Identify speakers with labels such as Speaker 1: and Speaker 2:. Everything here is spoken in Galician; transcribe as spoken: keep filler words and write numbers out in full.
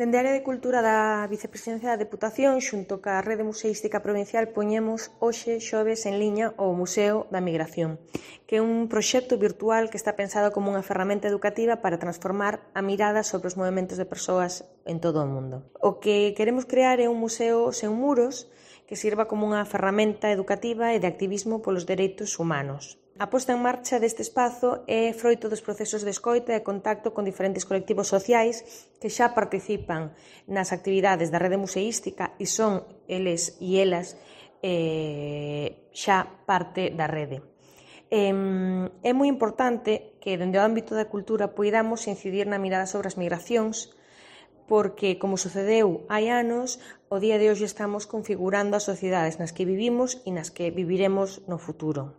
Speaker 1: Dende a área de Cultura da Vicepresidencia da Deputación, xunto ca Rede Museística Provincial, poñemos hoxe xoves en liña o Museo da Migración, que é un proxecto virtual que está pensado como unha ferramenta educativa para transformar a mirada sobre os movementos de persoas en todo o mundo. O que queremos crear é un museo sen muros que sirva como unha ferramenta educativa e de activismo polos dereitos humanos. A posta en marcha deste espazo é froito dos procesos de escoita e contacto con diferentes colectivos sociais que xa participan nas actividades da rede museística e son eles e elas eh, xa parte da rede. Eh, é moi importante que, dende o ámbito da cultura, poidamos incidir na mirada sobre as migracións, porque, como sucedeu hai anos, o día de hoxe estamos configurando as sociedades nas que vivimos e nas que viviremos no futuro.